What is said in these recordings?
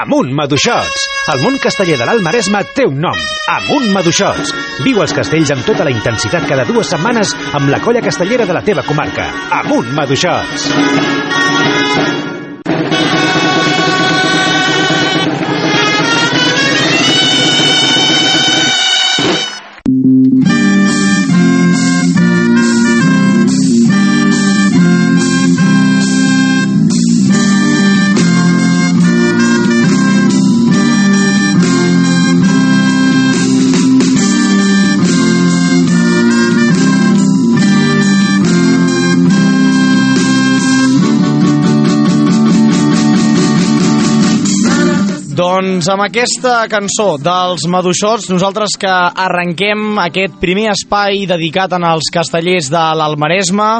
Amunt Maduixots! El món casteller de l'Alt Maresme té un nom, Amunt Maduixots. Viu els castells amb tota la intensitat cada 2 setmanes amb la colla castellera de la teva comarca. Amunt Maduixots! Doncs amb aquesta cançó dels Maduixots, nosaltres que arrenquem aquest primer espai dedicat als castellers de l'Alt Maresme.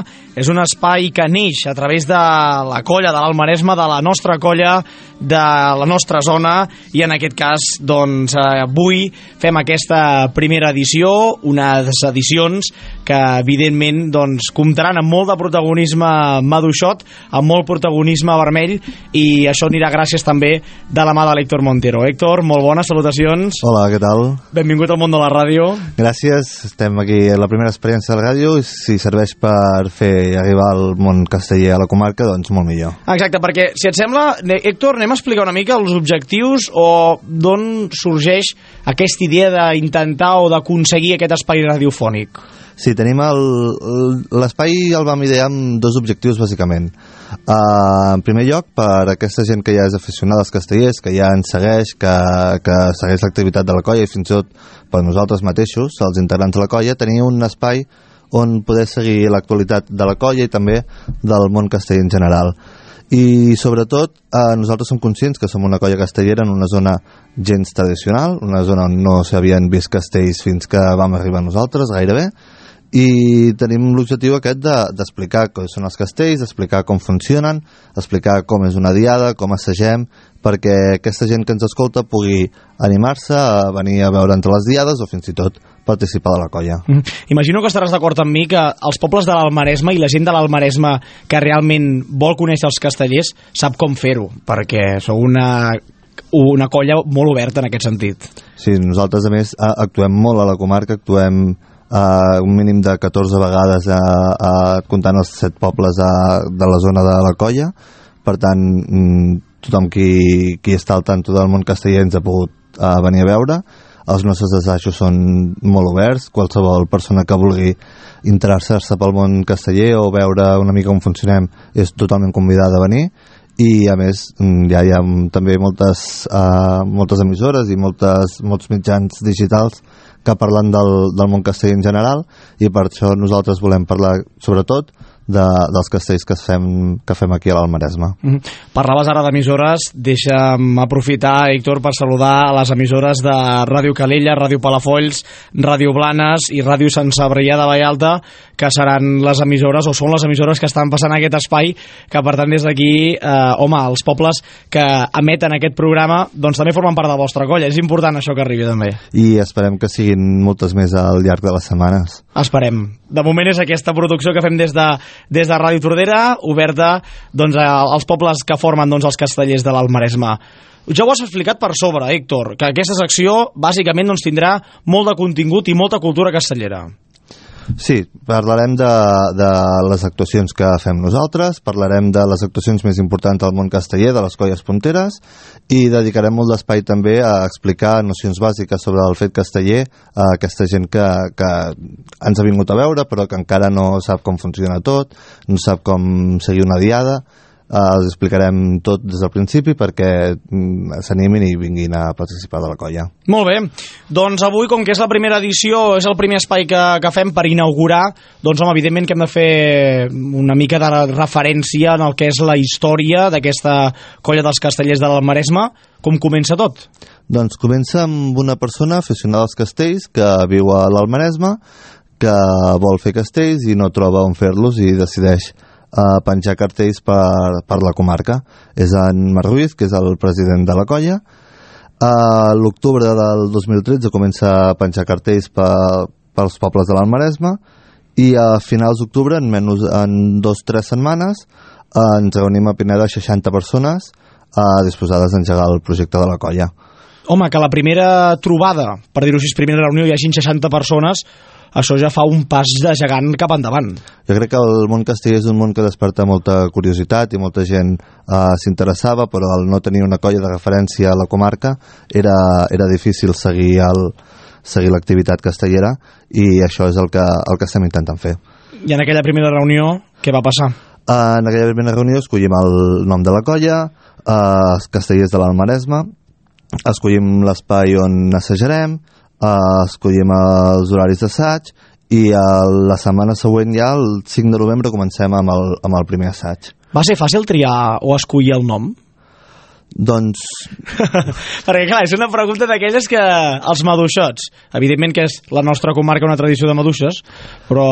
És un espai que neix a través de la colla de l'Alt Maresme, de la nostra colla, de la nostra zona, i en aquest cas, doncs, avui fem aquesta primera edició, unes edicions que, evidentment, doncs, comptaran amb molt de protagonisme maduixot, amb molt protagonisme vermell, i això anirà gràcies també de la mà de l'Héctor Montero. Héctor, molt bones salutacions. Hola, què tal? Benvingut al món de la ràdio. Gràcies, estem aquí a la primera experiència de la ràdio, i si serveix per fer arribar al món casteller a la comarca, doncs molt millor. Exacte, perquè, si et sembla, Héctor, anem a explicar una mica els objectius o d'on sorgeix aquesta idea d'intentar o d'aconseguir aquest espai radiofònic. Sí, tenim l'espai el vam idear amb 2 objectius, bàsicament. En primer lloc, per aquesta gent que ja és aficionada als castellers, que ja ens segueix, que segueix l'activitat de la colla, i fins i tot per nosaltres mateixos, els integrants de la colla, tenir un espai on poder seguir l'actualitat de la colla i també del món casteller en general. I sobretot nosaltres som conscients que som una colla castellera en una zona gens tradicional, una zona on no s'havien vist castells fins que vam arribar nosaltres gairebé, i tenim l'objectiu aquest d'explicar què són els castells, d'explicar com funcionen, explicar com és una diada, com assagem, perquè aquesta gent que ens escolta pugui animar-se a venir a veure entre les diades o fins i tot participar de la colla. Imagino que estaràs d'acord amb mi que els pobles de l'Alt Maresme i la gent de l'Alt Maresme que realment vol conèixer els castellers sap com fer-ho, perquè sou una colla molt oberta en aquest sentit. Sí, nosaltres a més actuem molt a la comarca, actuem un mínim de 14 vegades comptant els 7 pobles de la zona de la colla. Per tant, tothom qui està al tanto del món casteller ens ha pogut venir a veure. Els nostres assajos són molt oberts, qualsevol persona que vulgui interessar-se pel món casteller o veure una mica com funcionem és totalment convidada a venir. I a més ja hi ha també moltes emissores i molts mitjans digitals que parlen del món casteller en general, i per això nosaltres volem parlar sobretot dels castells que fem aquí a l'Alt Maresme. Parlaves ara d'emissores, deixa'm aprofitar, Héctor, per saludar a les emissores de Ràdio Calella, Ràdio Palafolls, Ràdio Blanes i Ràdio Sant Cebrià de Vallalta, que seran les emissores o són les emissores que estan passant aquest espai, que per tant des d'aquí, els pobles que emeten aquest programa doncs també formen part de la vostra colla. És important això que arribi també. I esperem que siguin moltes més al llarg de les setmanes. Esperem. De moment és aquesta producció que fem des de Ràdio Tordera, oberta doncs, als pobles que formen els castellers de l'Alt Maresme. Ja ho has explicat per sobre, Héctor, que aquesta secció bàsicament tindrà molt de contingut i molta cultura castellera. Sí, parlarem de les actuacions que fem nosaltres, parlarem de les actuacions més importants del món casteller, de les colles punteres, i dedicarem molt d'espai també a explicar nocions bàsiques sobre el fet casteller a aquesta gent que ens ha vingut a veure però que encara no sap com funciona tot, no sap com seguir una diada. Els explicarem tot des del principi perquè s'animin i vinguin a participar de la colla. Molt bé, doncs avui, com que és la primera edició, és el primer espai que fem per inaugurar, doncs evidentment que hem de fer una mica de referència en el que és la història d'aquesta colla dels castellers de l'Alt Maresme. Com comença tot? Doncs comença amb una persona aficionada als castells que viu a l'Alt Maresme, que vol fer castells i no troba on fer-los i decideix a penjar cartells per la comarca. És en Marc Ruiz, que és el president de la colla. A l'octubre del 2013 comença a penjar cartells pels pobles de l'Alt Maresme, i a finals d'octubre, en 2 o 3 setmanes, ens reunim a Pineda 60 persones disposades d'engegar el projecte de la colla. Home, que la primera trobada, per dir-ho així, primera reunió, hi hagin 60 persones, això ja fa un pas de gegant cap endavant. Jo crec que el món casteller és un món que desperta molta curiositat i molta gent s'interessava, però al no tenir una colla de referència a la comarca era difícil seguir l'activitat castellera, i això és el que estem intentant fer. I en aquella primera reunió, què va passar? En aquella primera reunió escollim el nom de la colla, Castellers de l'Almaresme, escollim l'espai on assajarem, escollim els horaris d'assaig, i la setmana següent, ja el 5 de novembre, comencem amb el primer assaig. Va ser fàcil triar o escollir el nom? Doncs... Perquè clar, és una pregunta d'aquelles que els maduixots, evidentment que és la nostra comarca una tradició de maduixes, però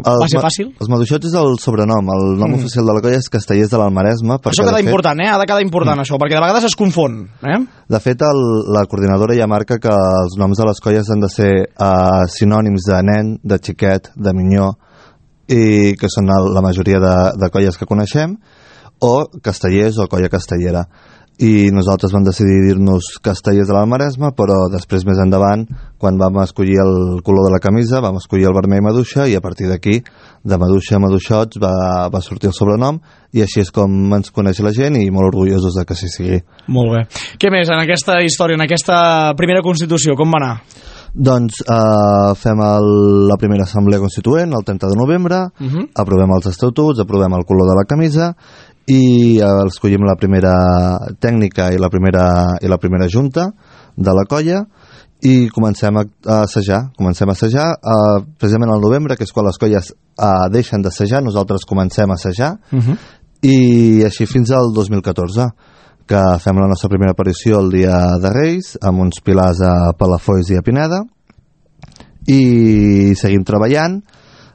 va ser fàcil? Els maduixots és el sobrenom, el nom oficial de la colla és Castellers de l'Almaresme. Això queda important, ha de quedar important això, perquè de vegades es confon. De fet, la coordinadora ja marca que els noms de les colles han de ser sinònims de nen, de xiquet, de minyó, i que són la majoria de colles que coneixem, o castellers o colla castellera. I nosaltres vam decidir dir-nos Castellers de l'Almaresme, però després, més endavant, quan vam escollir el color de la camisa, vam escollir el vermell maduixa, i a partir d'aquí, de maduixa a maduixots, va sortir el sobrenom, i així és com ens coneix la gent, i molt orgullosos de que així sigui. Molt bé. Què més en aquesta història, en aquesta primera Constitució, com va anar? Doncs fem la primera assemblea constituent el 30 de novembre, aprovem els estatuts, aprovem el color de la camisa, i escollim la primera tècnica i la primera junta de la colla, i comencem a assajar precisament al novembre, que és quan les colles deixen d'assajar, nosaltres comencem a assajar, i així fins al 2014, que fem la nostra primera aparició el dia de Reis, amb uns pilars a Palafolls i a Pineda, i seguim treballant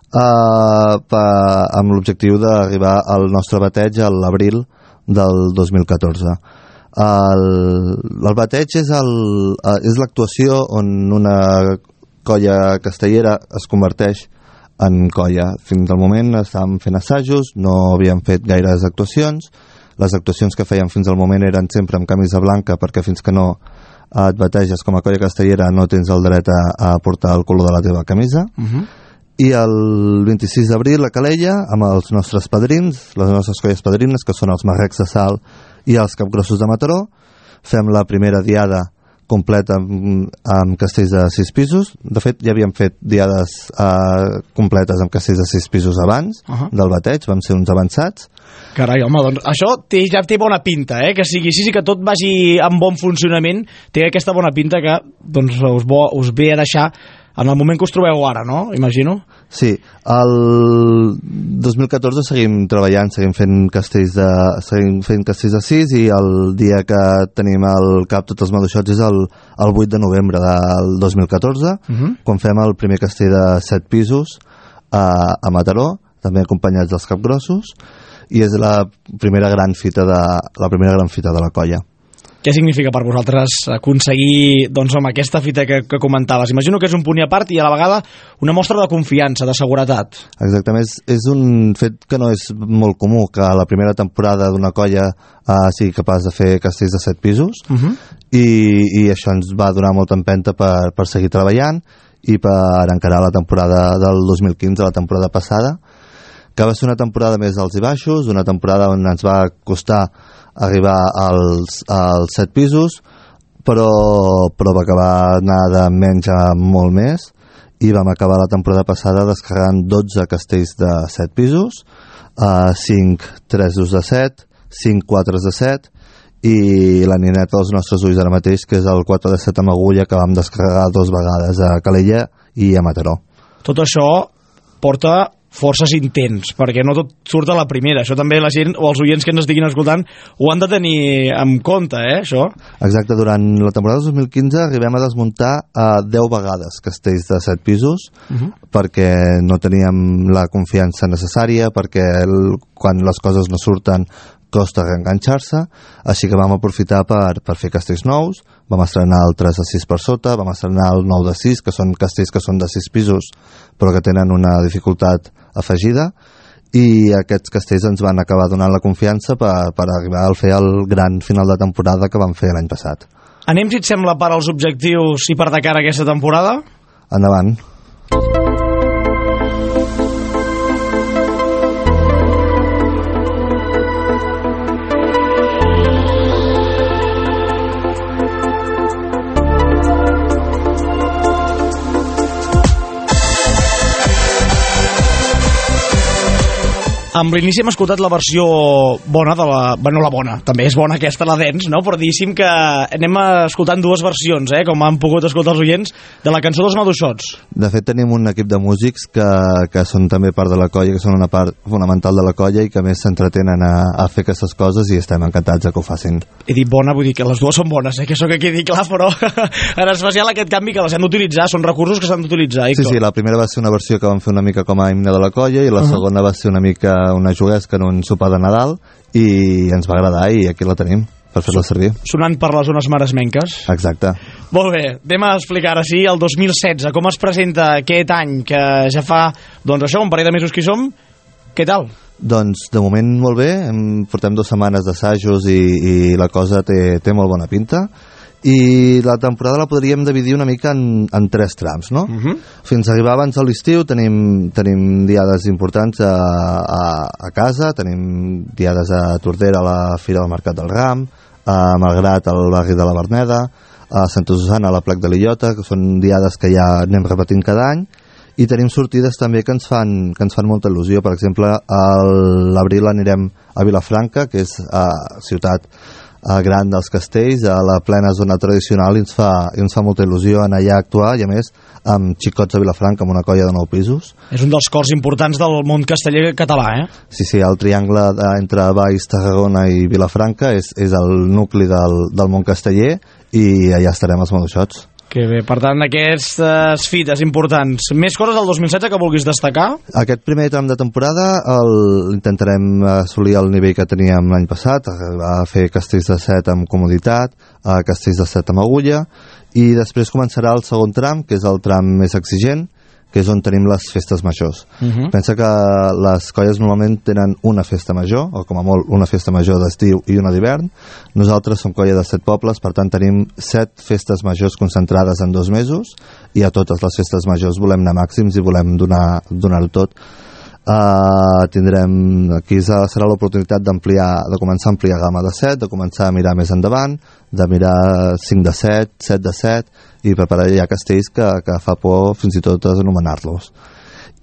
amb l'objectiu d'arribar al nostre bateig a l'abril del 2014. El bateig és l'actuació on una colla castellera es converteix en colla. Fins al moment estàvem fent assajos, no havíem fet gaires actuacions. Les actuacions que fèiem fins al moment eren sempre amb camisa blanca, perquè fins que no et bateges com a colla castellera no tens el dret a portar el color de la teva camisa. I el 26 d'abril a Calella, amb els nostres padrins, les nostres colles padrines, que són els Marrecs de Salt i els Capgrossos de Mataró, fem la primera diada completa amb castells de 6 pisos. De fet, ja havíem fet diades completes amb castells de 6 pisos abans del bateig, vam ser uns avançats. Carai, home, doncs això ja té bona pinta, que sigui així, que tot vagi en bon funcionament, té aquesta bona pinta que doncs, us ve a deixar en el moment que us trobeu ara, no? Imagino. Sí, el 2014 seguim treballant, seguim fent castells de 6, i el dia que tenim al cap tots els maduixots és el 8 de novembre del 2014, quan fem el primer castell de 7 pisos a Mataró, també acompanyats dels Capgrossos, i és la primera gran fita de la colla. Què significa per vosaltres aconseguir aquesta fita que comentaves? Imagino que és un punt i a part i a la vegada una mostra de confiança, de seguretat. Exactament, és un fet que no és molt comú, que a la primera temporada d'una colla sigui capaç de fer castells de 7 pisos, i això ens va donar molta empenta per seguir treballant i per encarar la temporada del 2015, la temporada passada, que va ser una temporada més alts i baixos, una temporada on ens va costar arribar als 7 pisos, però va acabar anar de menys a molt més, i vam acabar la temporada passada descarregant 12 castells de 7 pisos, 5 3 de 7, 5 4 de 7, i la nineta dels nostres ulls ara mateix, que és el 4 de 7 amb agulla, que vam descarregar 2 vegades a Calella i a Mataró. Tot això porta forces intents, perquè no tot surt a la primera. Això també la gent o els oients que ens estiguin escoltant ho han de tenir en compte, això. Exacte, durant la temporada 2015 arribem a desmuntar 10 vegades castells de 7 pisos, perquè no teníem la confiança necessària, perquè quan les coses no surten costa reenganxar-se, així que vam aprofitar per fer castells nous. Vam estrenar el 3 de 6 per sota, vam estrenar el 9 de 6, que són castells que són de 6 pisos, però que tenen una dificultat afegida, i aquests castells ens van acabar donant la confiança per arribar a fer el gran final de temporada que vam fer l'any passat. Anem, si et sembla, per als objectius i per de cara a aquesta temporada? Endavant. Amb l'inici hem escoltat la versió bona de la... Bueno, la bona, també és bona aquesta, la dance, no? Però diguéssim que anem escoltant dues versions, com han pogut escoltar els oients, de la cançó dels Maduixots. De fet, tenim un equip de músics que són també part de la colla, que són una part fonamental de la colla i que més s'entretenen a fer aquestes coses i estem encantats que ho facin. He dit bona, vull dir que les dues són bones, que això que quedi clar, però en especial aquest canvi que les hem d'utilitzar, són recursos que s'han d'utilitzar, Héctor. Sí, la primera va ser una versió que vam fer una mica com a himne de la colla i la segona va ser una mica una juguesca en un sopar de Nadal i ens va agradar i aquí la tenim per fer-la servir. Sonant per les zones maresmenques. Exacte. Molt bé, anem a explicar ara sí el 2016, com es presenta aquest any que ja fa, doncs això, un parell de mesos que hi som. Què tal? Doncs de moment molt bé, portem 2 setmanes d'assajos i la cosa té molt bona pinta. I la temporada la podríem dividir una mica en 3 trams, no? Fins a arribar abans a l'estiu tenim diades importants a casa, tenim diades a Tordera, a la Fira del Mercat del Ram, a Malgrat, al barri de la Verneda, a Santa Susana, a la Plec de l'Illota, que són diades que ja anem repetint cada any, i tenim sortides també que ens fan molta il·lusió. Per exemple, a l'abril anirem a Vilafranca, que és ciutat gran dels castells, a la plena zona tradicional, i ens fa molta il·lusió anar allà a actuar, i a més amb Xicots a Vilafranca, amb una colla de 9 pisos. És un dels cors importants del món casteller català, Sí, el triangle entre Valls, Tarragona i Vilafranca és el nucli del món casteller, i allà estarem els Maduixots. Que bé, per tant, aquestes fites importants. Més coses del 2016 que vulguis destacar? Aquest primer tram de temporada intentarem assolir el nivell que teníem l'any passat, a fer castells de 7 amb comoditat, castells de 7 amb agulla, i després començarà el segon tram, que és el tram més exigent, que és on tenim les festes majors. Pensa que les colles normalment tenen una festa major, o com a molt una festa major d'estiu i una d'hivern. Nosaltres som colla de 7 pobles, per tant tenim 7 festes majors concentrades en 2 mesos, i a totes les festes majors volem anar màxims i volem donar-ho tot. Aquí serà l'oportunitat de començar a ampliar gamma de 7, de començar a mirar més endavant, de mirar 5 de 7, 7 de 7, i preparar ja castells que fa por fins i tot anomenar-los.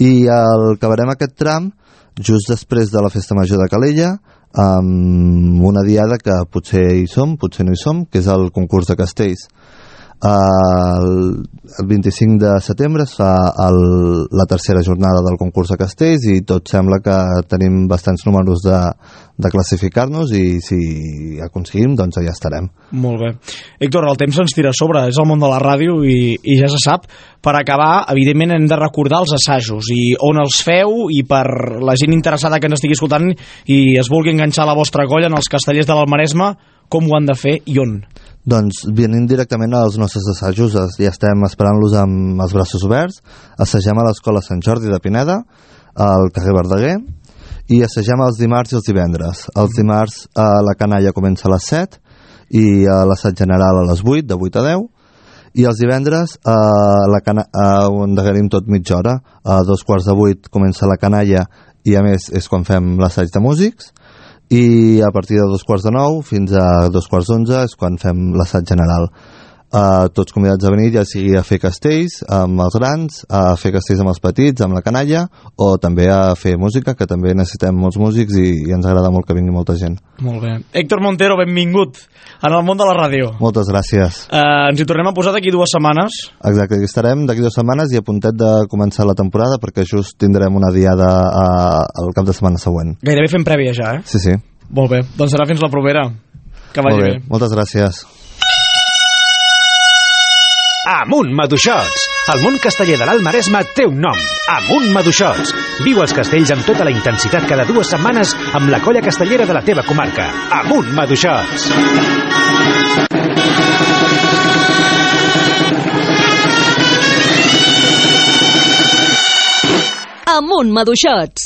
I acabarem aquest tram just després de la festa major de Calella, amb una diada que potser hi som, potser no hi som, que és el concurs de castells. El 25 de setembre es fa la tercera jornada del concurs de castells i tot sembla que tenim bastants números de classificar-nos, i si aconseguim, doncs allà estarem. Molt bé. Héctor, el temps ens tira a sobre, és el món de la ràdio i ja se sap. Per acabar, evidentment hem de recordar els assajos i on els feu, i per la gent interessada que ens estigui escoltant i es vulgui enganxar a la vostra colla en els castellers de l'Almaresme, com ho han de fer i on? Doncs venim directament als nostres assajos, ja estem esperant-los amb els braços oberts. Assagem a l'Escola Sant Jordi de Pineda, al carrer Verdaguer, i assagem els dimarts i els divendres. Els dimarts la canalla comença a les 7 i l'assaig general a les 8, de 8 a 10, i els divendres ho endegarim tot mitja hora. A 7:45 comença la canalla i a més és quan fem l'assaig de músics, i a partir de 8:45 fins a 11:15 és quan fem l'assaig general. Tots convidats a venir, ja sigui a fer castells amb els grans, a fer castells amb els petits, amb la canalla, o també a fer música, que també necessitem molts músics i ens agrada molt que vingui molta gent. Molt bé. Héctor Montero, benvingut en el món de la ràdio. Moltes gràcies. Ens hi tornem a posar d'aquí 2 setmanes. Exacte, aquí estarem d'aquí 2 setmanes i a puntet de començar la temporada, perquè just tindrem una diada el cap de setmana següent. Gairebé fem prèvia ja, Sí, sí. Molt bé, doncs serà fins la propera. Que vagi bé. Moltes gràcies. Amunt Maduixots! El món casteller de l'Alt Maresme té un nom. Amunt Maduixots! Viu els castells amb tota la intensitat cada 2 setmanes amb la colla castellera de la teva comarca. Amunt Maduixots! Amunt Maduixots!